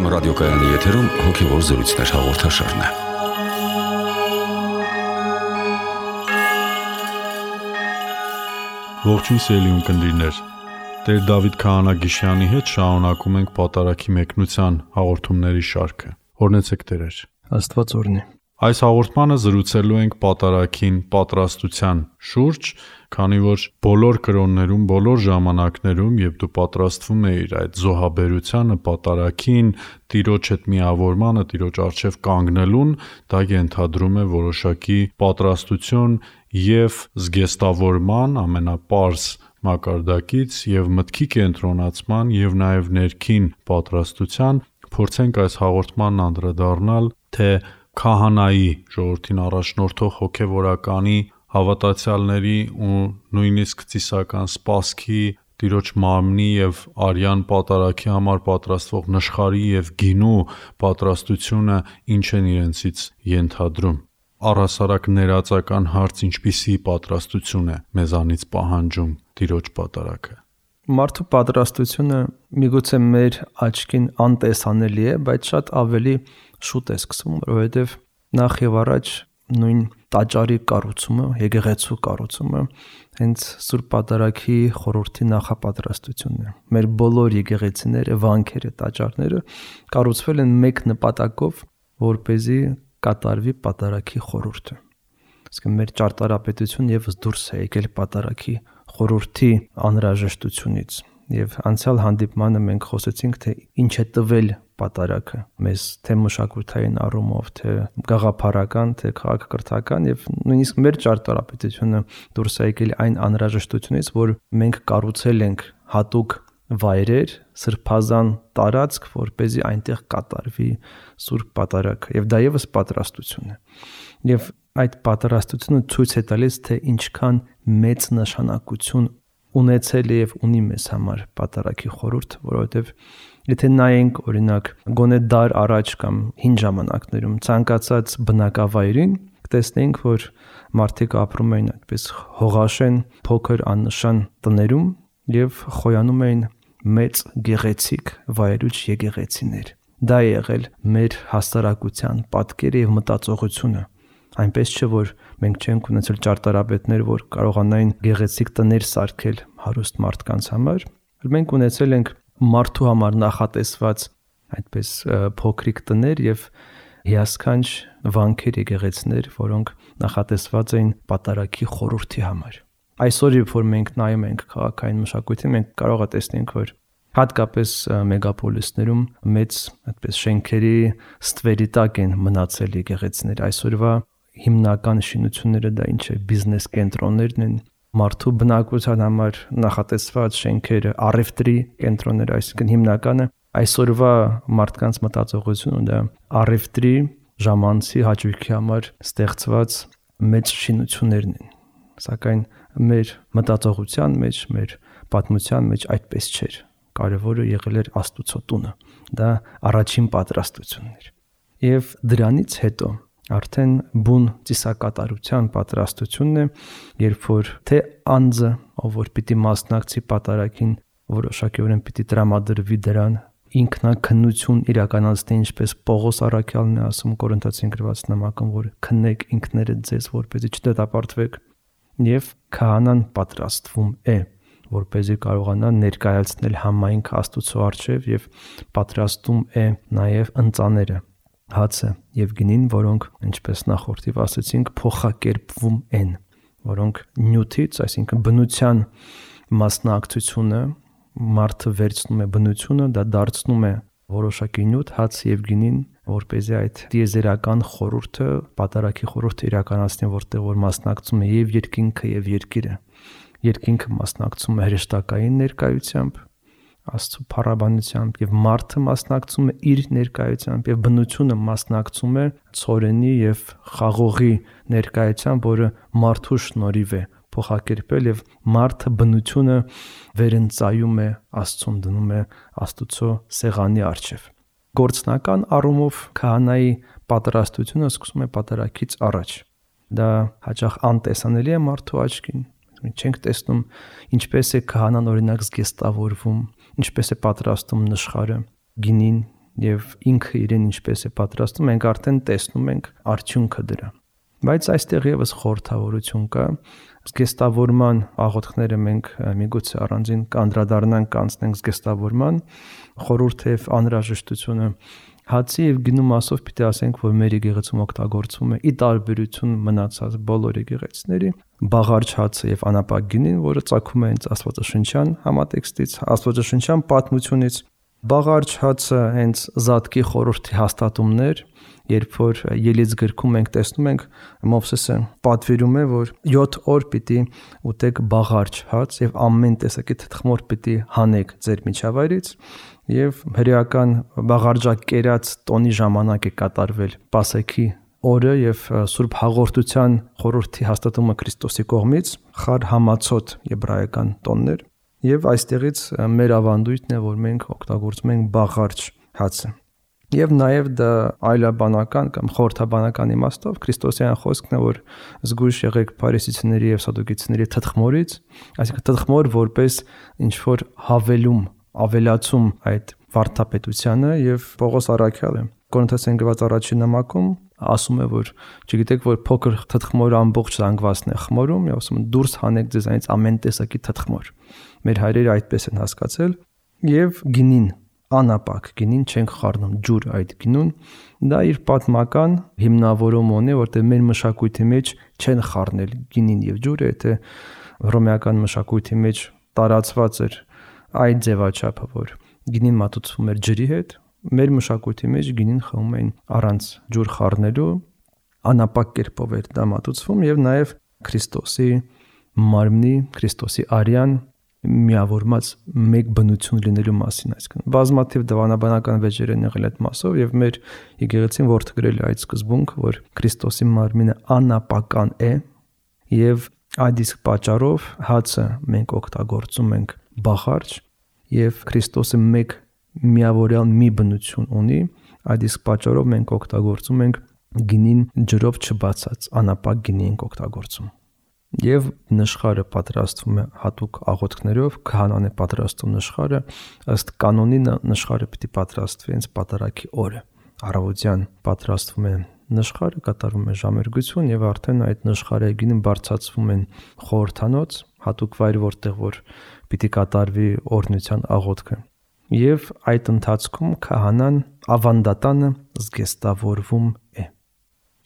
FM ռադիոկայանի եթերում հոգևոր զրույցներ հաղորդաշարն է։ Ողջույն սիրելի ունկնդիրներ։ Տեր Դավիթ Քահանա-Գիշյանի հետ շարունակում ենք Պատարագի մեկնության հաղորդումների շարքը։ Օրհնեցեք Տերեր։ Աստված օրհնի։ Այս հաղորդմանը զրուցելու ենք Պատարագին պատրաստության շուրջ, քանի որ բոլոր կրոններում, բոլոր ժամանակներում, երբ դու պատրաստվում ես այդ զոհաբերությանը, Պատարագին, Տիրոջ հետ միավորմանը, Տիրոջ առջև կանգնելուն, դա ենթադրում է որոշակի պատրաստություն եւ զգեստավորման ամենապարզ մակարդակից եւ մտքի կենտրոնացման եւ նաեւ ներքին պատրաստության փորձենք այս հաղորդմանն անդրադառնալ թե քահանայի ժողովրդին առաջնորդող հոգևորականի հավատացյալների ու նույնիսկ ծիսական սպասքի Տիրոջ մարմնի եւ արյան Պատարագի համար պատրաստվող նշխարի եւ գինու պատրաստությունը ինչ են իրենցից ենթադրում։ Առհասարակ ներածական հարց ինչպիսի պատրաստություն է մեզանից պահանջում Տիրոջ Պատարագը։ Մարդու պատրաստությունը միգուցե մեր աչքին անտեսանելի է, բայց շատ ավելի շուտ է սկսվում, որովհետև նախ եւ առաջ նույն տաճարի կառուցումը, եկեղեցու կառուցումը հենց Սուրբ Պատարագի խորհրդի նախապատրաստությունն է։ Մեր բոլոր եկեղեցիները, վանքերը, տաճարները կառուցվել են մեկ նպատակով, որպեսզի կատարվի Պատարագի խորհուրդը։ Իսկ մեր ճարտարապետությունը եւս դուրս է եկել Պատարագի խորհրդի անհրաժեշտությունից։ Եվ անցյալ հանդիպմանը մենք խոսեցինք, թե ինչ է տվել Պատարագը մեզ թե մշակութային առումով, թե գաղափարական, թե քաղաքակրթական եւ նույնիսկ մեր ճարտարապետությունը դուրս է եկել այն անհրաժեշտությունից, որ մենք կառուցել ենք հատուկ վայրեր, սրբազան տարածք, որպեսզի այնտեղ կատարվի Սուրբ Պատարագը, եւ դա եւս պատրաստություն է։ Եվ այդ պատրաստությունը ցույց է տալիս, թե ինչքան մեծ նշանակություն ունեցել է եւ ունի մեզ համար Պատարագի խորհուրդ, որովհետեւ եթե նայենք օրինակ գոնե դար առաջ կամ հին ժամանակներում ցանկացած բնակավայրին, կտեսնենք, որ մարդիկ ապրում էին այդպես հողաշեն, փոքր աննշան տներում եւ խոյանում էին մեծ գեղեցիկ վայրուչ եկեղեցիներ։ Դա է եղել մեր հասարակության պատկերը եւ մտածողությունը։ Այնպես չէ, որ մենք չենք ունեցել ճարտարապետներ, որ կարողանային գեղեցիկ տներ սարքել հարուստ մարդկանց համար, այլ մենք ունեցել ենք մարդու համար նախատեսված այդպես փոքրիկ տներ եւ հիասքանչ վանքեր եկեղեցիներ, որոնք նախատեսված էին Պատարագի խորհրդի համար։ Այսօր երբ որ մենք նայում ենք քաղաքային մշակույթին, մենք կարող ենք տեսնել, որ հատկապես մեգապոլիսներում մեծ այդպես շենքերի ստվերի տակ են մնացել եկեղեցիներ։ Այսօրվա հիմնական շինությունները դա ինչ է, բիզնես կենտրոններն են, մարդու բնակության համար նախատեսված շենքերը, առևտրի կենտրոնները, այսինքն հիմնականը այսօրվա մարդկանց մտածողությունը դա առևտրի ժամանցի հաճույքի համար ստեղծված մեծ շինություններն են։ Սակայն մեր մտածողության մեջ, մեր պատմության մեջ այդպես չէր։ Կարևորը եղել էր Աստուծո տունը։ Դա առաջին պատրաստությունն էր։ Եվ դրանից հետո արդեն բուն ծիսակատարության պատրաստությունն է, երբ որ թե անձը, ով որ պիտի մասնակցի Պատարագին, որոշակիորեն պիտի տրամադրվի դրան, ինքնակնություն իրականացնի, ինչպես Պողոս առաքյալն է ասում Կորինթացին գրված նամակում, որ քննեք ինքներդ ձեզ, որպեսզի չդատապարտվեք, եւ քահանան պատրաստվում է, որպեսզի կարողանա ներկայացնել համայնք Աստուծո առջև եւ պատրաստում է նաեւ ընծաները, հացը եւ գինին, որոնք, ինչպես նախորդիվ ասացինք, փոխակերպվում են, որոնք նյութից, այսինքն բնության մասնակցությունը մարդը վերցնում է բնությունը, դա դարձնում է որոշակի նյութ, հաց եւ գինին, որպեսզի այդ դիեզերական խորհուրդը, Պատարագի խորհուրդը իրականացնի, որտեղ որ մասնակցում է եւ երկինքը եւ երկիրը։ Երկինքը մասնակցում է հրեշտակային ներկայությամբ, Աստծո փառաբանությամբ եւ մարդը մասնակցում է իր ներկայությամբ եւ բնությունը մասնակցում է ցորենի եւ խաղողի ներկայությամբ, որը մարդու շնորհիվ է փոխակերպել եւ մարդը բնությունը վերընծայում է Աստծուն, դնում է Աստուծո սեղանի առջև։ Գործնական առումով քահանայի պատրաստությունը սկսում է Պատարագից առաջ։ Դա հաճախ անտեսանելի է մարդու աչքին։ Մենք չենք տեսնում ինչպես է քահանան օրինակ զգեստավորվում, ինչպես է պատրաստում նշխարը, գինին, եւ ինքը իրեն ինչպես է պատրաստում, մենք արդեն տեսնում ենք արդյունքը դրա։ Բայց այստեղ եւս խորհրդավորություն կա, զգեստավորման աղոթքները մենք միգուցե առանձին կանդրադառնանք, կանցնենք զգեստավորման, խորհուրդը եւ անհրաժեշտությունը հացի եւ գինու մասով պիտի ասենք, որ մեր եկեղեցում օգտագործվում է ի տարբերություն մնացած բոլոր եկեղեցիների բաղարջ հացը եւ անապակ գինին, որը ծագում է հենց աստվածաշնչյան համատեքստից, աստվածաշնչյան պատմությունից։ Բաղարջ հացը հենց Զատկի խորհրդի հաստատումներ, երբ որ Ելից գրքում մենք տեսնում ենք Մովսեսը պատվիրում է, որ 7 օր պիտի ուտեք բաղարջ հաց եւ ամեն տեսակի թթխմոր պիտի հանեք ձեր միջավայրից եւ հրեական բաղարջակերած տոնի ժամանակ է կատարվել Պասեքի օրը եւ Սուրբ Հաղորդության խորհրդի հաստատումը Քրիստոսի կողմից խար համացոտ եբրայական տոններ եւ այստեղից մեր ավանդույթն է, որ մենք օգտագործում ենք բաղարջ հացը։ Եվ նաև դա այլաբանական կամ խորհրդաբանական իմաստով քրիստոսյան խոսքն է, որ զգույշ եղեք փարիսեցիների եւ սադուկեցիների թթխմորից, այսինքն թթխմոր որպես ինչ որ հավելում, ավելացում այդ վարդապետությանը եւ Պողոս առաքյալը Կորինթոսյան գրված առաջին նամակում ասում է, որ չգիտեք, որ փոքր թթխմորը ամբողջ զանգվածն է խմորում, եւ ասում դուրս հանեք ձեզանից ամեն տեսակի թթխմոր։ Մեր հայրերը այդպես են հասկացել եւ գինին անապակ գինին չենք խառնում ջուր այդ գինուն, դա իր պատմական հիմնավորում ունի, որտեղ մեր մշակույթի մեջ չեն խառնել գինին եւ ջուրը, եթե հռոմեական մշակույթի մեջ տարածված էր այդ ձևաչափը, որ գինին մատուցվում էր ջրի հետ, մեր մշակույթի մեջ գինին խմում էին առանց ջուր խառնելու, անապակ կերպով էր դա մատուցվում եւ նաեւ Քրիստոսի մարմնի, Քրիստոսի արյան միավորված մեկ բնություն լինելու մասին, այսինքն բազմաթիվ դավանաբանական վեճեր են եղել այդ մասով եւ մեր եկեղեցին որդեգրել է այդ սկզբունք, որ Քրիստոսի մարմինը անապական է եւ այդ իսկ պատճառով հացը մենք օգտագործում ենք բաղարջ եւ Քրիստոսը մեկ միավորյալ մի բնություն ունի, այդ իսկ պատճառով մենք օգտագործում ենք գինին ջրով չբացած անապակ գինի ենք օգտագործում։ Եվ նշխարը պատրաստվում է հատուկ աղոթքներով, քահանան է պատրաստում նշխարը, ըստ կանոնի նշխարը պիտի պատրաստվի հենց պատարագի օրը։ Առավոտյան պատրաստվում է նշխարը, կատարվում է ժամերգություն եւ արդեն այդ նշխարի գինը բարձրացվում են խորհրդանոց, հատուկ վայր, որտեղ որ պիտի կատարվի օրհնության աղոթքը։ Եվ այդ ընթացքում քահանան ավանդատանը զգեստավորվում է։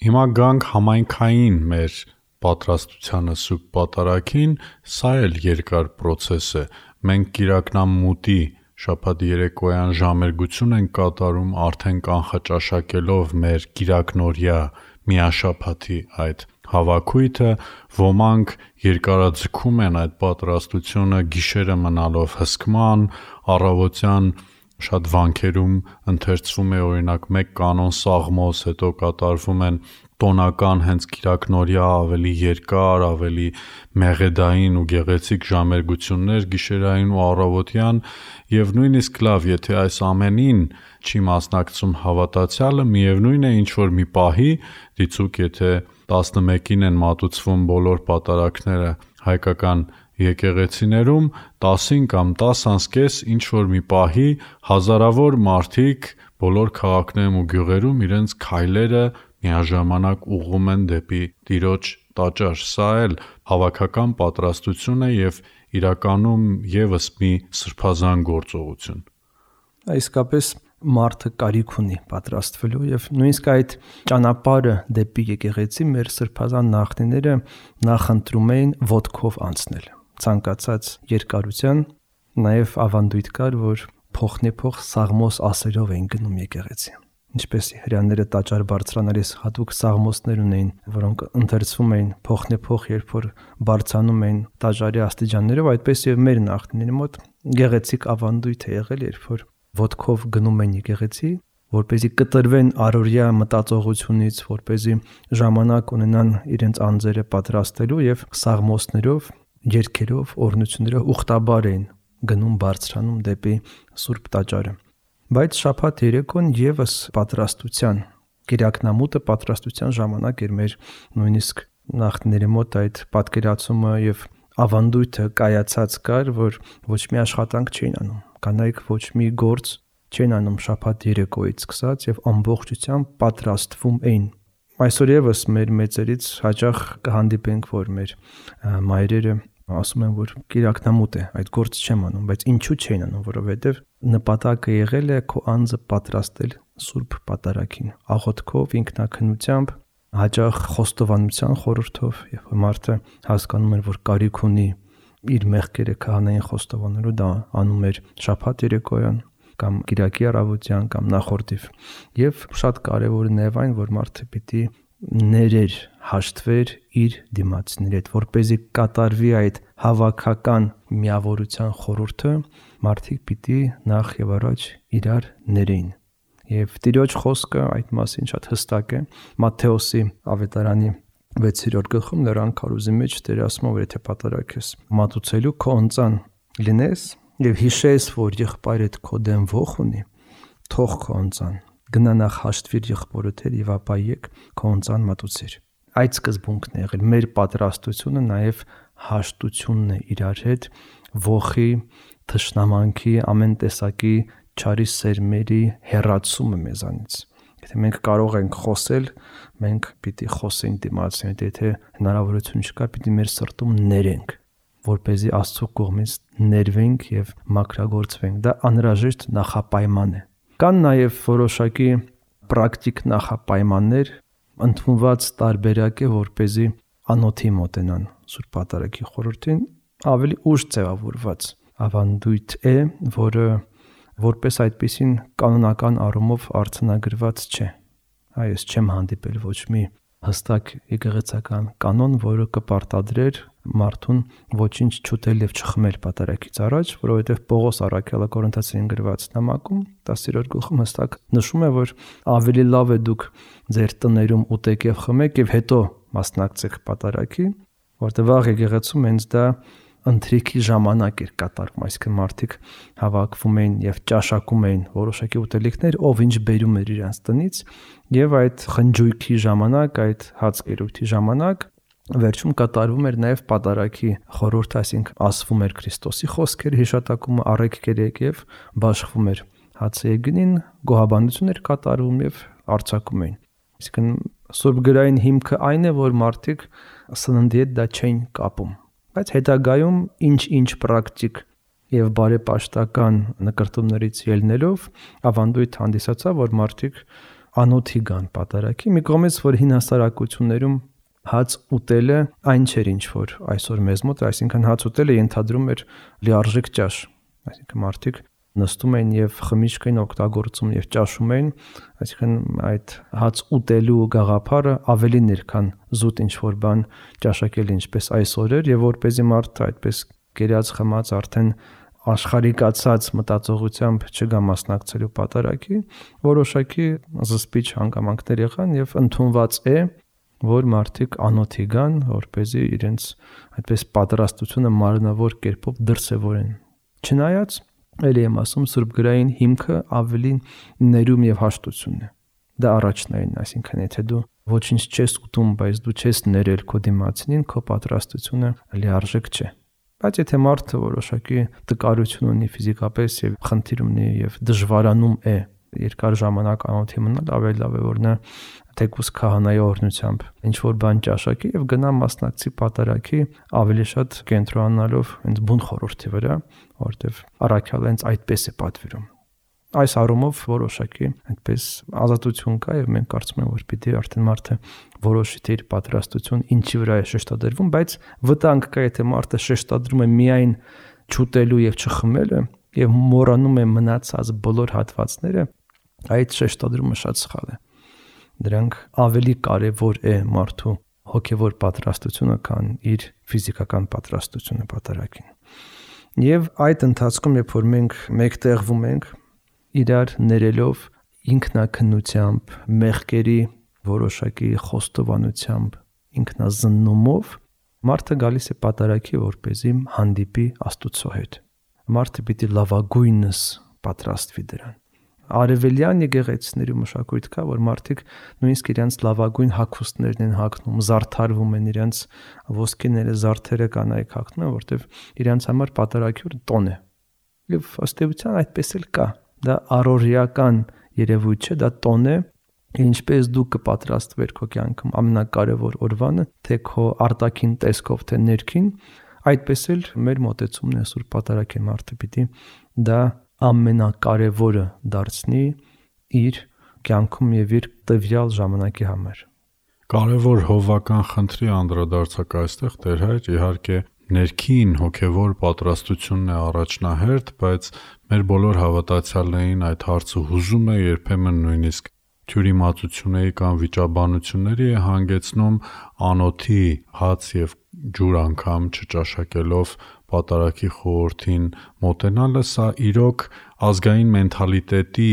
Հիմա գանք համայնքային մեր պատրաստությանը Սուրբ Պատարագին, սա էլ երկար process է։ Մենք կիրակնամուտի շաբաթ երեկոյան ժամերգություն ենք կատարում, արդեն կանխաճաշակելով մեր կիրակնօրյա միաշաբաթի այդ հավաքույթը, ոմանք երկարաձգում են այդ պատրաստությունը գիշերը մնալով հսկման, առավոտյան շատ վանքերում ընթերցվում է օրինակ մեկ կանոն սաղմոս, հետո կատարվում են տոնական հենց կիրակնօրյա ավելի երկար, ավելի մեղեդային ու գեղեցիկ ժամերգություններ գիշերային ու առավոտյան եւ նույնիսկ լավ, եթե այս ամենին չի մասնակցում հավատացյալը, միևնույն է ինչ որ մի պահի դիցուկ, եթե 11-ին են մատուցվում բոլոր պատարագները հայկական եկեղեցիներում, 10-ին կամ 10:30 ինչ որ մի պահի հազարավոր մարդիկ բոլոր քաղաքներում ու գյուղերում իրենց քայլերը միաժամանակ ուղղում են դեպի Տիրոջ տաճար։ Սա էլ հավաքական պատրաստություն է եւ իրականում եւս մի սրբազան գործողություն։ Իսկապես մարդը կարիք ունի պատրաստվելու եւ նույնիսկ այդ ճանապարհը դեպի եկեղեցի մեր սրբազան նախնիները նախընտրում էին ոտքով անցնել։ Ցանկացած երկարության նաեւ ավանդույթ կար, որ փոխնեփոխ սաղմոս ասերով են գնում եկեղեցի։ Ինչպես հрьяաները տաճար բարձրանալիս հատուկ սաղմոսներ ունեին, որոնք ընթերցվում էին փոխնեփոխ, երբ որ բարձրանում էին տաճարի աստիճաններով, այդպես եւ մեր նախնիների մոտ գեղեցիկ ավանդույթ է եղել, երբ որ ոտքով գնում են եկեղեցի, որպեսզի կտրվեն առօրյա մտածողությունից, որպեսզի ժամանակ ունենան իրենց անձերը պատրաստելու եւ սաղմոսներով, երգերով, օրհնություններով ուխտաբար էին գնում բարձրանում դեպի Սուրբ տաճարը։ Բայց շաբաթ երեկոն եւս պատրաստության, կիրակնամուտը պատրաստության ժամանակ էր մեր նույնիսկ նախնիների մոտ այդ պատկերացումը եւ ավանդույթը կայացած կար, որ ոչ մի աշխատանք չէին անում, կանայք ոչ մի գործ չէին անում շաբաթ երեկոյից սկսած եւ ամբողջությամբ պատրաստվում էին։ Այսօր եւս մեր մեծերից հաճախ կհանդիպենք, որ մեր մայրերը ասում են, որ կիրակնամուտ է, այդ գործը չեմ անում, բայց ինչու չէին անում, որովհետեւ նպատակը եղել է քո անձը պատրաստել Սուրբ Պատարագին, աղոթքով, ինքնակնությամբ, հաճախ խոստովանության խորհրդով, եւ մարդը հասկանում էր, որ կարիք ունի իր մեղքերը քահանային խոստովանելու, դա անում էր շաբաթ երեկոյան կամ կիրակի առավոտյան կամ նախորդիվ։ Եվ շատ կարևորը նաև այն, որ մարդը պիտի ներեր, հաշտվեր իր դիմացիների հետ, որպեսզի կատարվի այդ հավաքական միավորության խորհուրդը, մարդիկ պիտի նախ եւ առաջ իրար ներեին։ Եվ Տիրոջ խոսքը այդ մասին շատ հստակ է Մատթեոսի ավետարանի 6-րդ գլխում Լեռան քարոզի մեջ Տերը ասում է, որ եթե պատարագես մատուցելու քո ընծան լինես եւ հիշես, որ եղբայրդ քո դեմ ոխ ունի, թող քո ընծան գնա նախ հաշտվիր եղբորդ հետ եւ ապա եկ քո ընծան մատուցիր։ Այդ սկզբունքն է եղել մեր պատրաստությունը, նաեւ հաշտությունն է իրար հետ, ոխի, թշնամանքի, ամեն տեսակի չարի սերմերի հեռացումը մեզանից։ Եթե մենք կարող ենք խոսել, մենք պիտի խոսենք դիմացին հետ, եթե հնարավորություն չկա, պիտի մեր սրտում ներենք, որպեսզի Աստծո կողմից ներվենք եւ մաքրագործվենք։ Դա անհրաժեշտ նախապայման է։ Կան նաեւ որոշակի պրակտիկ նախապայմաններ, ընդունված տարբերակ է, որպեսզի անոթի մոտենան Սուրբ Պատարագի խորհրդին, ավելի ուշ ձևավորված ավանդույթ է, որը որպես այդպեսին կանոնական առումով արձանագրված չէ։ Այս չեմ հանդիպել ոչ մի հստակ եկեղեցական կանոն, որը կպարտադրեր մարդուն ոչինչ չուտել եւ չխմել պատարագից առաջ, որովհետեւ Պողոս առաքյալը Կորինթացին գրված նամակում 10-րդ գլխում հստակ նշում է, որ ավելի լավ է դուք ձեր տներում ուտեք եւ խմեք եւ հետո մասնակցեք պատարագի, որտեղ վաղ եկեղեցում հենց դա ընթրիքի ժամանակ էր կատարվում, այսինքն մարդիկ հավաքվում էին եւ ճաշակում էին որոշակի ուտելիքներ, ով ինչ բերում էր իրենց տնից, եւ այդ խնջույքի ժամանակ, այդ հացկերույթի ժամանակ վերջում կատարվում էր նաեւ պատարագի խորհուրդ, այսինքն ասվում էր Քրիստոսի խոսքեր, հիշատակումը առեք կերեք եւ բաշխվում էր հացը գնին, գոհաբանություն էր կատարվում եւ արձակում էին։ Այսինքն Սուրբ գրային հիմքը այն է, որ մարդիկ սննդի հետ դա չէին կապում, բայց հետագայում ինչ պրակտիկ եւ բարեպաշտական նկարտումներից ելնելով ավանդույթ հանդիսացավ, որ մարդիկ անոթի գան պատարագի, մի կողմից որ հին հասարակություններում հաց ուտելը այն չէր, ինչ որ այսօր մեզ մոտ, այսինքն հաց ուտելը ենթադրում էր լիարժեք ճաշ, այսինքն մարդիկ նստում էին եւ խմիչք էին օգտագործում եւ ճաշում էին, այսինքն այդ հաց ուտելու գաղափարը ավելին էր, քան զուտ ինչ որ բան ճաշակել, ինչպես այսօր էր, եւ որպեսզի մարդը այդպես կերած խմած արդեն աշխարհիկացած մտածողությամբ չգա մասնակցելու պատարագի, որոշակի զսպիչ հանգամանքներ եղան եւ ընդունված է, որ մարդիկ անոթի գան, որպեսզի իրենց այդպես պատրաստությունը մարմնավոր կերպով դրսևորեն։ Չնայած Էլի եմ ասում, Սուրբ գրային հիմքը ավելի ներում եւ հաշտությունն է։ Դա առաջնային, այսինքն եթե դու ոչինչ չես ուտում, բայց դու չես ներել քո դիմացինին, քո պատրաստությունը լիարժեք չէ։ Բայց եթե մարդը որոշակի տկարություն ունի ֆիզիկապես եւ խնդիր ունի եւ դժվարանում է երկար ժամանակ անոթի մնալ, ավելի լավ է որ նա թեկուս քահանայի օրհնությամբ ինչ որ բան ճաշակի եւ գնա մասնակցի պատարագի, ավելի շատ կենտրոնանալով հենց բուն խորհրդի վրա, որտեվ առաքյալը հենց այդպես է պատվիրում։ Այս առումով որոշակի այդպես ազատություն կա եւ մենք կարծում ենք, որ պիտի արդեն մարդը որոշի թե իր պատրաստություն ինչի վրա է շեշտադրվում, բայց վտանգ կա, եթե մարդը շեշտադրում է միայն չուտելու եւ չխմելը եւ մոռանում է մնացած բոլոր հատվածները, այդ շեշտադրումը շատ սխալ է։ Դրանք ավելի կարևոր է մարդու հոգևոր պատրաստությունը, քան իր ֆիզիկական պատրաստությունը պատարագին։ Եվ այդ ընթացքում, երբ որ մենք մեկտեղվում ենք, իրար ներելով ինքնակնությամբ, մեղքերի որոշակի խոստովանությամբ, ինքնազննումով, մարդը գալիս է պատարագի, որպեսզի հանդիպի Աստծո հետ։ Մարդը պիտի լավագույնս պատրաստվի դրան։ Արևելյան եկեղեցիների մշակույթ կա, որ մարդիկ նույնիսկ իրենց լավագույն հագուստներն են հագնում, զարդարվում են, իրենց ոսկիները, զարդերը կանայք հագնում են, որտեղ իրենց համար պատարագի տոն է։ Եվ ըստ էության այդպես էլ կա։ դա առօրեական երևույթ չէ, դա տոն է, ինչպես դու կպատրաստվեր քո կյանքում ամենակարևոր օրվանը, թե քո արտաքին տեսքով, թե ներքին, այդպես էլ մեր մոտեցումն է Սուրբ Պատարագին մարդը պիտի դա ամենակարևորը դարձնի իր կյանքում եւ իր տվյալ ժամանակի համար։ Կարևոր հովվական խնդրի անդրադարձակ այստեղ Տեր Հայր, իհարկե ներքին հոգևոր պատրաստությունն է առաջնահերթ, բայց մեր բոլոր հավատացյալներին այդ հարցը հուզում է, երբեմն նույնիսկ թյուրիմացությունների կամ վիճաբանությունների է հանգեցնում անոթի հաց եւ ջուր անգամ չճաշակելով պատարագի խորհրդին մոտենալը, սա իրոք ազգային մենթալիտետի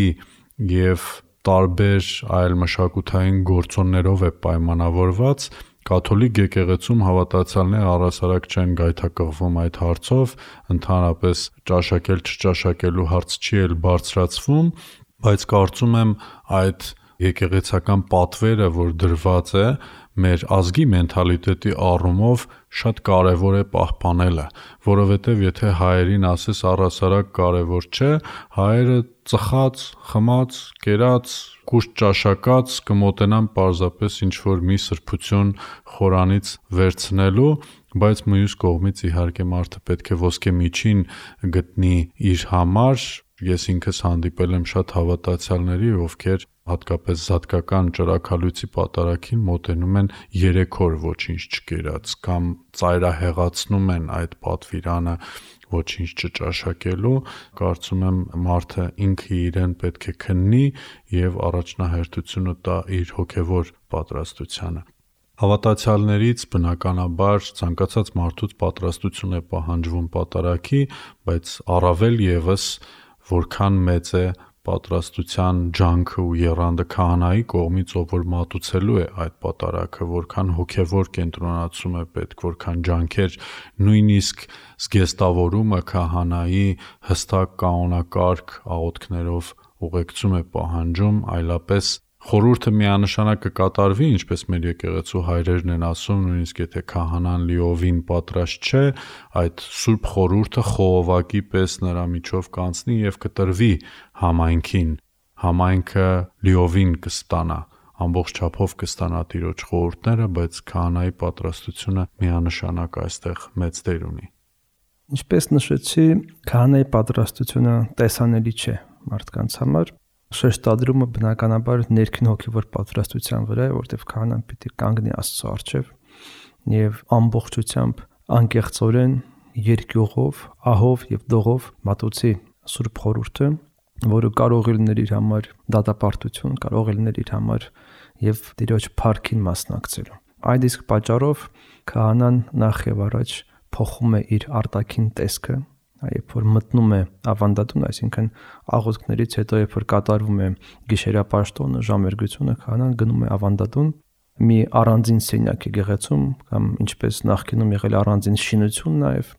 եւ տարբեր այլ մշակութային գործոններով է պայմանավորված։ Կաթոլիկ եկեղեցում հավատացյալները առհասարակ չեն գայթակղվում այդ հարցով, ընդհանրապես ճաշակել չճաշակելու հարց չի էլ բարձրացվում, բայց կարծում եմ այդ եկեղեցական պատվերը, որ դրված է մեր ազգի մենթալիտետի առումով շատ կարևոր է պահպանելը, որովհետև եթե հայերին ասես առհասարակ կարևոր չէ, հայերը ծխած, խմած, կերած, կուշտ ճաշակած կմոտենան պարզապես ինչ-որ մի սրբություն խորանից վերցնելու, բայց մյուս կողմից իհարկե մարդը պետք է ոսկե միջին գտնի իր համար։ Ես ինքս հանդիպել եմ շատ հավատացյալների, ովքեր հատկապես զատկական ճրագալույցի պատարագին մոտենում են 3 օր ոչինչ չկերած կամ ծայրահեղացնում են այդ պատվիրանը ոչինչ չճաշակելու։ Կարծում եմ մարդը ինքը իրեն պետք է քննի եւ առաջնահերթությունը տա իր հոգեվոր պատրաստությանը։ Հավատացյալներից բնականաբար ցանկացած մարդուց պատրաստություն է պահանջվում պատարագի, բայց առավել եւս որքան մեծ է պատրաստության ջանքը ու եռանդը քահանայի կողմից, ով որ մատուցելու է այդ պատարագը, որքան հոգևոր կենտրոնացում է պետք, որքան ջանքեր, նույնիսկ զգեստավորումը քահանայի հստակ կանոնակարգ աղոթքներով ուղեկցում է պահանջում, այլապես խորհուրդը միանշանակ կկատարվի, ինչպես մեր եկեղեցու հայրերն են ասում, նույնիսկ եթե քահանան լիովին պատրաստ չէ, այդ սուրբ խորհուրդը խողովակի պես նրա միջով կանցնի եւ կտրվի համայնքին, համայնքը լիովին կստանա, ամբողջ չափով կստանա Տիրոջ խորհուրդները, բայց քահանայի պատրաստությունը միանշանակ այստեղ մեծ դեր ունի։ Ինչպես նշեցի, քահանայի պատրաստությունը տեսանելի չէ մարդկանց համար։ Շեշտադրումը բնականաբար ներքին հոգևոր պատրաստության վրա է, որտեղ քահանան պիտի կանգնի Աստծո առջև եւ ամբողջությամբ անկեղծորեն երկյուղով, ահով եւ դողով մատուցի Սուրբ խորհուրդը, որը կարող է լինել իր համար դատապարտություն, կարող է լինել իր համար եւ Տիրոջ փառքին մասնակցելու։ Այդ իսկ պատճառով քահանան նախ եւ առաջ փոխում է իր արտաքին տեսքը, երբ որ մտնում է ավանդատուն, այսինքն աղոթքներից հետո երբ որ կատարվում է գիշերապաշտոնը, ժամերգությունը, քահանան գնում է ավանդատուն, մի առանձին սենյակ եկեղեցում կամ ինչպես նախկինում եղել առանձին շինություն նաև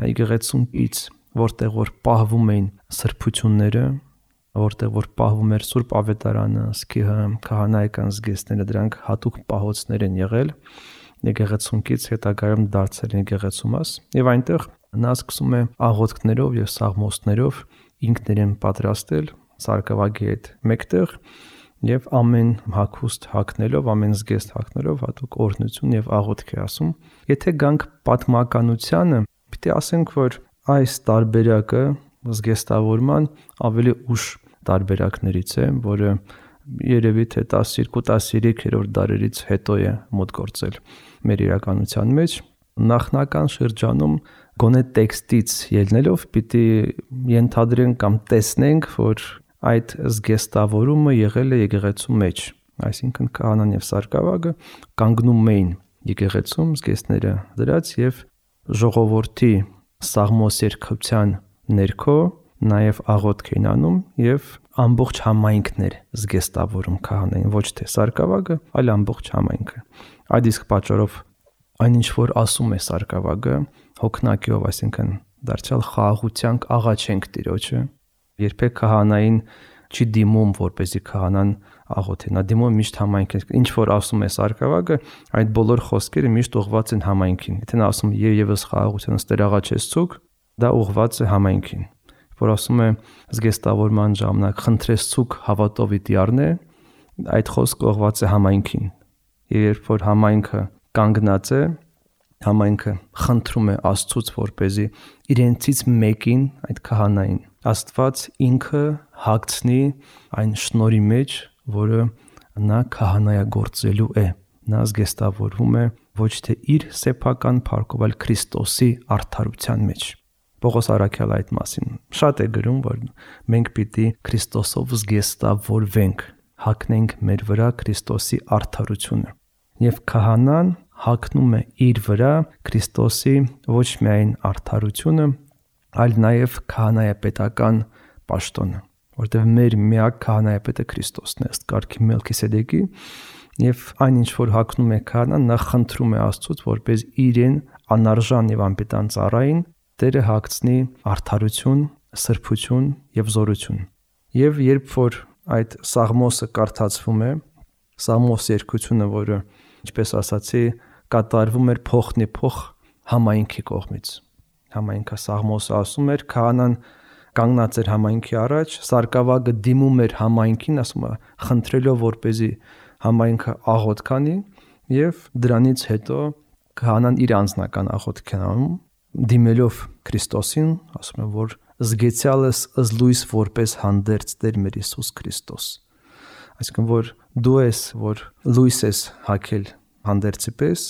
եկեղեցումից, որտեղ որ պահվում էին սրբությունները, որտեղ որ պահվում էր Սուրբ Ավետարանը, սկիհը, քահանայական զգեստները, դրանք հատուկ պահոցներ են եղել եկեղեցունքից հետագայում դարձել եկեղեցու մաս, եւ այնտեղ նա սկսում է աղոթքներով եւ սաղմոսներով ինքներեն պատրաստել սարկավագի հետ մեկտեղ եւ ամեն հագուստ հագնելով, ամեն զգեստ հագնելով հատուկ օրհնություն եւ աղոթք է ասում։ Եթե գանք պատմականությանը, պիտի ասենք, որ այս տարբերակը զգեստավորման ավելի ուշ տարբերակներից է, որը երևի թե 12-13-րդ դարերից հետո է մոտ գործել մեր իրականության մեջ։ Նախնական շրջանում գոնե տեքստից ելնելով պիտի ենթադրենք կամ տեսնենք, որ այդ զգեստավորումը եղել է եկեղեցու մեջ, այսինքն քահանան եւ սարկավագը կանգնում էին եկեղեցում զգեստները դրած եւ ժողովրդի սաղմոսերքության ներքո նաև աղոթք էին անում եւ ամբողջ համայնքն էր զգեստավորում քահանային, ոչ թե սարկավագը, այլ ամբողջ համայնքը։ Այդ իսկ պատճառով այնինչ որ ասում է սարկավագը հոգնակիով, այսինքն դարձյալ խաղաղության աղաչենք Տիրոջը, երբեք քահանային չի դիմում, որպեսզի քահանան աղոթի, նա դիմում միշտ համայնքին։ Ինչ որ ասում է սարկավագը, այդ բոլոր խոսքերը միշտ ուղղված են համայնքին։ Եթե նա ասում եւս խաղաղության ստեր աղաչեցուք, դա ուղղված է համայնքին։ որ ասում է զգեստավորման ժամանակ խնդրես ցուկ հավատովի դիարնե, այդ խոսքը ուղղված է համայնքին։ Եվ երբ որ համայնքը կանգնած է, համայնքը խնդրում է Աստծուց, որպեսզի իրենցից մեկին, այդ քահանային, Աստված ինքը հագցնի այն շնորհի մեջ, որը նա քահանայագործելու է։ Նա զգեստավորվում է ոչ թե իր սեփական փառքով, այլ Քրիստոսի արդարության մեջ։ Պողոս առաքյալը այդ մասին շատ է գրում, որ մենք պիտի Քրիստոսով զգեստավորվենք, հագնենք մեր վրա Քրիստոսի արդարությունը։ Եվ քահանան հագնում է իր վրա Քրիստոսի ոչ միայն արդարությունը, այլ նաև քահանայապետական պաշտոնը, որտեղ մեր միակ քահանայապետը Քրիստոսն է, ըստ կարգի Մելքիսեդեկի, եւ այն ինչ որ հագնում է քահանան, նա խնդրում է Աստծուց, որպես իրեն անարժան եւ անպետան ծառային Տերը հագցնի արդարություն, սրբություն եւ զորություն։ Եվ երբ որ այդ Սաղմոսը կարդացվում է, Սաղմոս երկությունը, որը, ինչպես ասացի, կատարվում էր փոխնի փոխ համայնքի կողմից։ Համայնքը Սաղմոսը ասում էր, քահանան կանգնած էր համայնքի առաջ, սարկավագը դիմում էր համայնքին, ասում է, խնդրելով որպեսզի համայնքը աղոթ քանի, եւ դրանից հետո քահանան իր անձնական աղոթքն անում, դիմելով Քրիստոսին, ասում է, որ զգեցյալս ըզլույս որպես հանդերձ Տեր մեր Հիսուս Քրիստոս։ Այսինքն, որ դու ես, որ լույս ես հագել հանդերձի պես,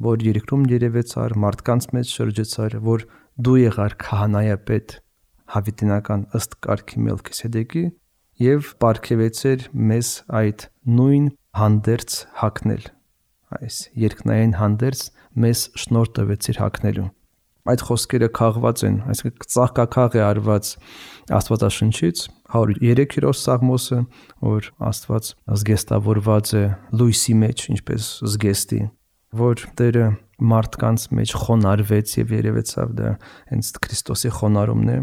որ երկրում երևեցար, մարդկանց մեջ շրջեցար, որ դու եղար քահանայապետ հավիտենական ըստ կարգի Մելքիսեդեկի եւ պարգևեցեր մեզ այդ նույն հանդերձ հագնել, այս երկնային հանդերձ մեզ շնորհ տվեցիր հագնելու։ Այդ խոսքերը քաղված են, այսինքն ծաղկաքաղ է արված Աստվածաշնչից, 103-րդ Սաղմոսը, որ Աստված զգեստավորված է լույսի մեջ, ինչպես զգեստի, որ Տերը մարդկանց մեջ խոնարհվեց եւ երևեցավ, դա հենց Քրիստոսի խոնարհումն է,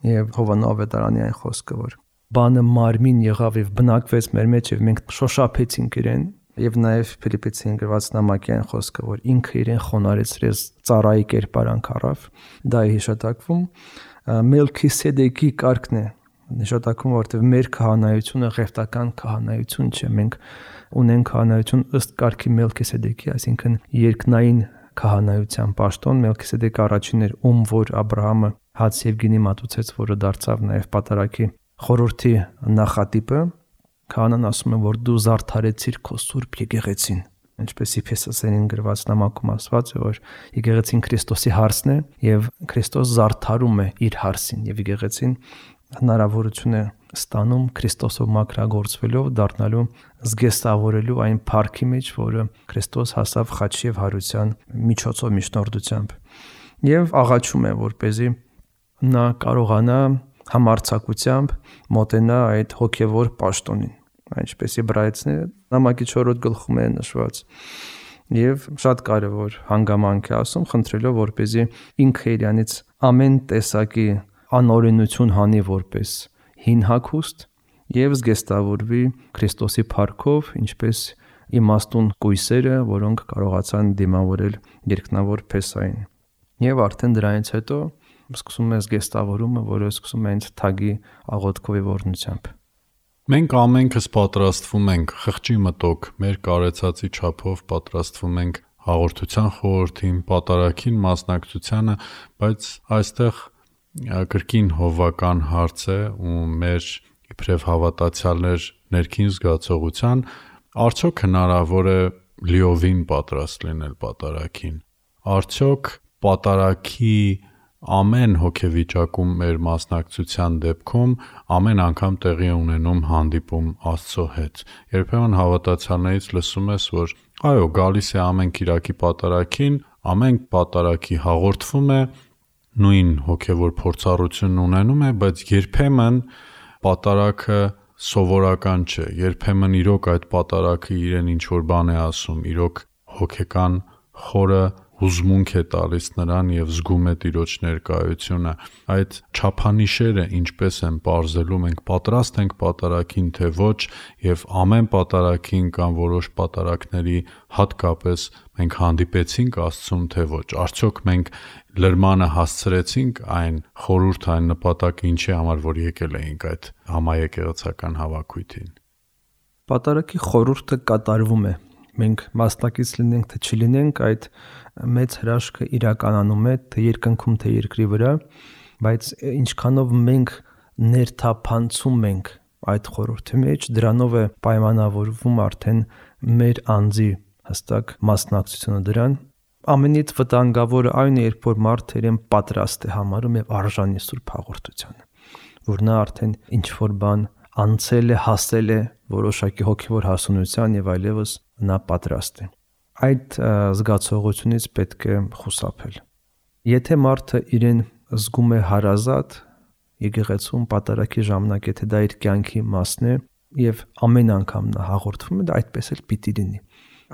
եւ Հովաննես Ավետարանի այն խոսքը, որ բանը մարմին եղավ եւ բնակվեց մեր մեջ եւ մենք շոշափեցինք իրեն, եւ նաեւ Ֆիլիպպեցին գրված նամակի այն խոսքը, որ ինքը իրեն խոնարհեցրեց, ծառայի կերպարանք առավ, դա է հիշատակվում։ Մելքիսեդեկի կարգն է նշանակում, որտեղ մեր քահանայությունը ղևտական քահանայություն չէ, մենք ունենք քահանայություն ըստ կարգի Մելքիսեդեկի, այսինքն երկնային քահանայության պաշտոն։ Մելքիսեդեկը առաջինն էր, ում որ Աբրահամը հաց եւ գինի մատուցեց, որը դարձավ նաեւ պատարագի խորհրդի նախատիպը։ Քահանան ասում է, որ դու զարդարեցիր քո սուրբ եկեղեցին, ինչպես Եփեսացիներին գրված նամակում ասված է, որ եկեղեցին Քրիստոսի հարսն է եւ Քրիստոս զարդարում է իր հարսին եւ եկեղեցին հնարավորություն է ստանում Քրիստոսով մաքրագործվելով, դառնալու զգեստավորելու այն փառքի մեջ, որը Քրիստոս հասավ խաչի եւ հարության միջոցով միջնորդությամբ, եւ աղաչում է, որպեսզի նա կարողանա համարձակությամբ մոտենա այդ հոգևոր պաշտոնին, ինչպես Եբրայեցիների նամակի 4-րդ գլխում է նշված, եւ շատ կարեւոր հանգամանք է ասում, խնդրելով, որպեսզի ինքը իրանից ամեն տեսակի անօրենություն հանի որպես հին հագուստ եւ զգեստավորվի Քրիստոսի փառքով, ինչպես իմաստուն կույսերը, որոնք կարողացան դիմավորել երկնավոր Փեսային։ Եվ արդեն դրանից հետո սկսում է զգեստավորումը, որը սկսում է հենց թագի աղոթքով եւ օրհնությամբ։ Մենք ամենքս պատրաստվում ենք խղճի մտոք, մեր կարեցածի չափով պատրաստվում ենք հաղորդության խորհրդին, պատարագին մասնակցությանը, բայց այստեղ կրկին հովվական հարց է ու մեր իբրև հավատացյալներ ներքին զգացողության, արդյոք հնարավոր է լիովին պատրաստ լինել պատարագին։ Արդյոք պատարագի ամեն հոգեվիճակում մեր մասնակցության դեպքում ամեն անգամ տեղի ունենում հանդիպում Աստծո հետ։ Երբեմն հավատացյալներից լսում ես, որ այո, գալիս է ամեն կիրակի պատարագին, ամեն պատարագի հաղորդվում է, նույն հոգևոր փորձառությունն ունենում է, բայց երբեմն պատարագը սովորական չէ, երբեմն իրոք այդ պատարագը իրեն ինչ որ բան է ասում, իրոք հոգեկան խորը հուզմունք է տալիս նրան եւ զգում է Տիրոջ ներկայությունը։ Այդ չափանիշերը ինչպես են բարձելու, մենք պատրաստ ենք պատարագին թե ոչ, եւ ամեն պատարագին կամ որոշ պատարագների հատկապես մենք հանդիպեցինք Աստծուն թե ոչ։ Արդյոք մենք լրմանը հասցրեցինք այն խորհուրդ, այն նպատակը, ինչի համար որ եկել էինք այդ համաեկեղեցական հավաքույթին։ Պատարագի խորհուրդը կատարվում է։ Մենք մասնակից լինենք թե չլինենք, այդ մեծ հրաշքը իրականանում է թե երկնքում թե երկրի վրա, բայց ինչքանով մենք ներթափանցում ենք այդ խորհրդի մեջ, դրանով է պայմանավորվում արդեն մեր անձի հստակ մասնակցությունը դրան։ Ամենից վտանգավորը այն է, երբ որ մարդը իրեն պատրաստ է համարում եւ արժանի Սուրբ Հաղորդությանը, որ նա արդեն ինչ որ բան անցել է, հասել է որոշակի հոգևոր հասունության եւ այլևս նա պատրաստ է։ Այդ զգացողությունից պետք է խուսափել։ Եթե մարդը իրեն զգում է հարազատ եկեղեցում պատարագի ժամանակ, եթե դա իր կյանքի մասն է եւ ամեն անգամ նա հաղորդվում է, դա այդպես էլ պիտի լինի։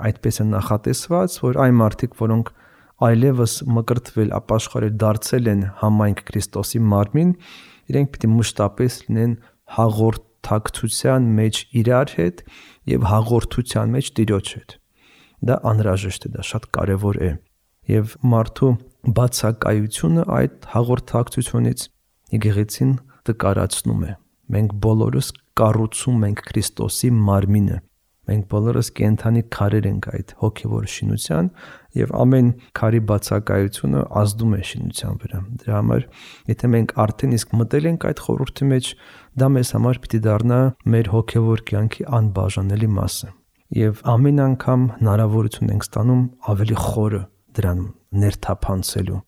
Այդպես է նախատեսված, որ այն մարդիկ, որոնք այլևս մկրտվել, ապաշխարել, դարձել են համայնք Քրիստոսի մարմին, իրենք պիտի մշտապես լինեն հաղորդակցության մեջ իրար հետ եւ հաղորդության մեջ Տիրոջ հետ։ Դա անհրաժեշտ է, դա շատ կարեւոր է։ Եվ մարդու բացակայությունը այդ հաղորդակցությունից եկեղեցին տկարացնում է։ Մենք բոլորս կառուցում ենք Քրիստոսի մարմինը։ Մենք բոլորս կենթանի քարեր ենք այդ հոգևոր շինության եւ ամեն քարի բացակայությունը ազդում է շինության վրա։ Դրա համար, եթե մենք արդեն իսկ մտել ենք այդ խորհրդի մեջ, դա մեզ համար պիտի դառնա մեր հոգևոր կյանքի անբաժանելի մասը։ Եվ ամեն անգամ հնարավորություն ենք ստանում ավելի խորը դրան ներթափանցելու։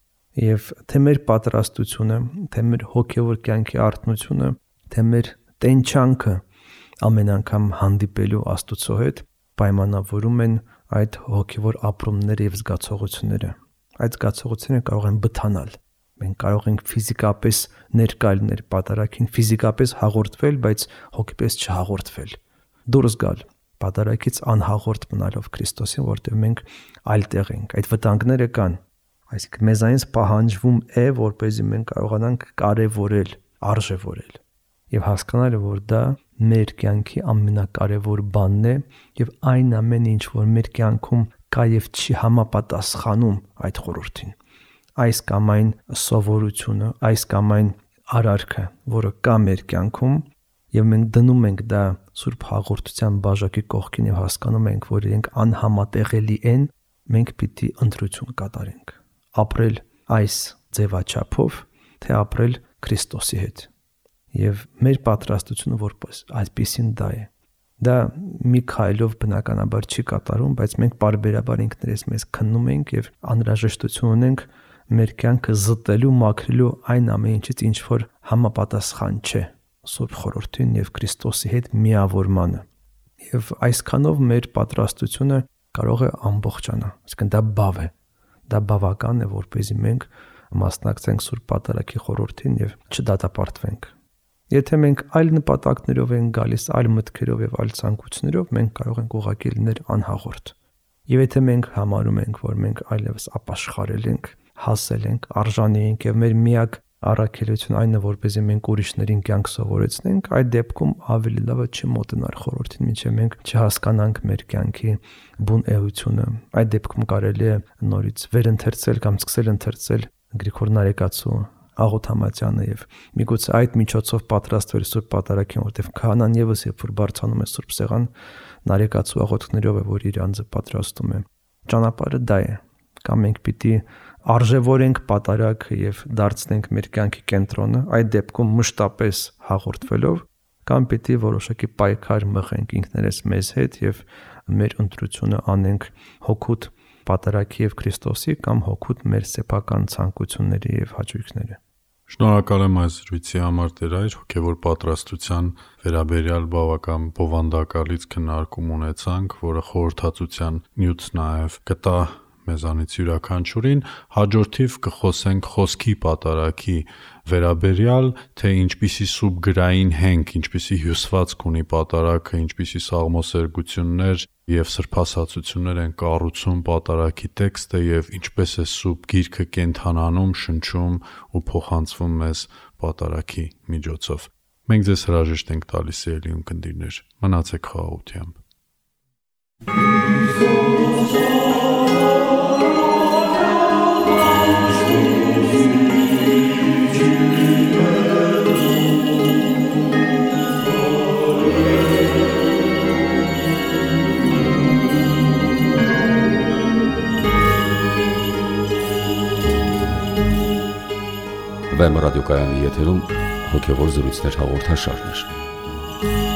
Եվ թե մեր պատրաստությունը, թե մեր հոգևոր կյանքի արթնությունը, թե մեր տենչանքը ամեն անգամ հանդիպելու Աստծո հետ պայմանավորում են այդ հոգևոր ապրումները եւ զգացողությունները։ Այդ զգացողությունները կարող են բթանալ։ Մենք կարող ենք ֆիզիկապես ներկա լինել պատարագին, ֆիզիկապես հաղորդվել, բայց հոգեպես չհաղորդվել։ Դուրս գալ պատարագից անհաղորդ մնալով Քրիստոսին, որտեղ մենք այլ տեղ ենք։ Այդ վտանգները կան։ Այսինքն մեզանից պահանջվում է, որպեսզի մենք կարողանանք կարևորել, արժևորել եւ հասկանալ, որ դա մեր կյանքի ամենակարևոր բանն է եւ այն ամենը, ինչ որ մեր կյանքում կա եւ չի համապատասխանում այդ խորհրդին։ Այս կամ այն սովորությունը, այս կամ այն արարքը, որը կա մեր կյանքում եւ մենք դնում ենք դա Սուրբ Հաղորդության բաժակի կողքին եւ հասկանում ենք, որ իրենք անհամատեղելի են, մենք պիտի ընտրություն կատարենք։ Ապրել այս ձևաչափով, թե ապրել Քրիստոսի հետ։ Եվ մեր պատրաստությունը որպես այդպեսին դա է։ Դա մի քայլով բնականաբար չի կատարում, բայց մենք բարբերաբար ինքներս մեզ քննում ենք եւ անհրաժեշտություն ունենք մեր կյանքը զտելու, մաքրելու այն ամեն ինչից, ինչ որ համապատասխան չէ Սուրբ Խորհրդին եւ Քրիստոսի հետ միավորմանը։ Եվ այսքանով մեր պատրաստությունը կարող է ամբողջանալ։ Այսինքն դա բավ է։ Դա բավական է, որպեսզի մենք մասնակցենք Սուրբ Պատարագի խորհրդին եւ չդատապարտվենք։ Եթե մենք այլ նպատակներով ենք գալիս, այլ մտքերով եւ այլ ցանկություններով, մենք կարող ենք ուղղակի լինել անհաղորդ։ Եվ եթե մենք համարում ենք, որ մենք այլևս ապաշխարել ենք, հասել ենք, արժանի ենք եւ մեր միակ առաքելությունը այն է, որպեսզի մենք ուրիշներին կյանք սովորեցնենք, այդ դեպքում ավելի լավ է չմոտենալ խորհրդին, մինչև մենք չհասկանանք մեր կյանքի բուն էությունը։ Այդ դեպքում կարելի է նորից վերընթերցել կամ սկսել ընթերցել Գրիգոր Նարեկացու Աղոթամատյանը եւ միգուցե այդ միջոցով պատրաստվել Սուրբ Պատարագին, որտեղ քահանան եւս երբ որ բարձանում է Սուրբ Սեղան, Նարեկացու աղոթքներով է, որ իր անձը պատրաստում է։ Ճանապարհը դա է։ Կամ մենք պիտի արժևորենք պատարագ եւ դարձնենք մեր կյանքի կենտրոնը, այդ դեպքում մշտապես հաղորդվելով, կամ պիտի որոշակի պայքար մղենք ինքներս մեզ հետ եւ մեր ընտրությունը անենք հոգուտ պատարագի եւ Քրիստոսի կամ հոգուտ մեր սեփական ցանկությունների եւ հաճույքների։ Շնորհակալ եմ այս զրույցի համար Տեր այր, հոգևոր պատրաստության վերաբերյալ բավական բովանդակալից քննարկում ունեցանք, որը խորհրդածության նյութ նաեւ կտա մեզանից յուրաքանչյուրին, հաջորդիվ կխոսենք խոսքի պատարագի վերաբերյալ, թե ինչպիսի սուբգրային հենք, ինչպիսի հյուսվածք ունի պատարագը, ինչպիսի սաղմոսերգություններ եւ սրբասացություններ են կառուցում պատարագի տեքստը եւ ինչպես է սուրբ գիրքը կենթանանում, շնչում ու փոխանցվում մեզ պատարագի միջոցով։ Մենք ձեզ հրաժեշտ ենք տալիս ելի ունկնդիրներ, մնացեք խաղաղությամբ։ Վեմ ռադիոկայանի եթերում հոգևոր զրույցներ հաղորդաշարներ։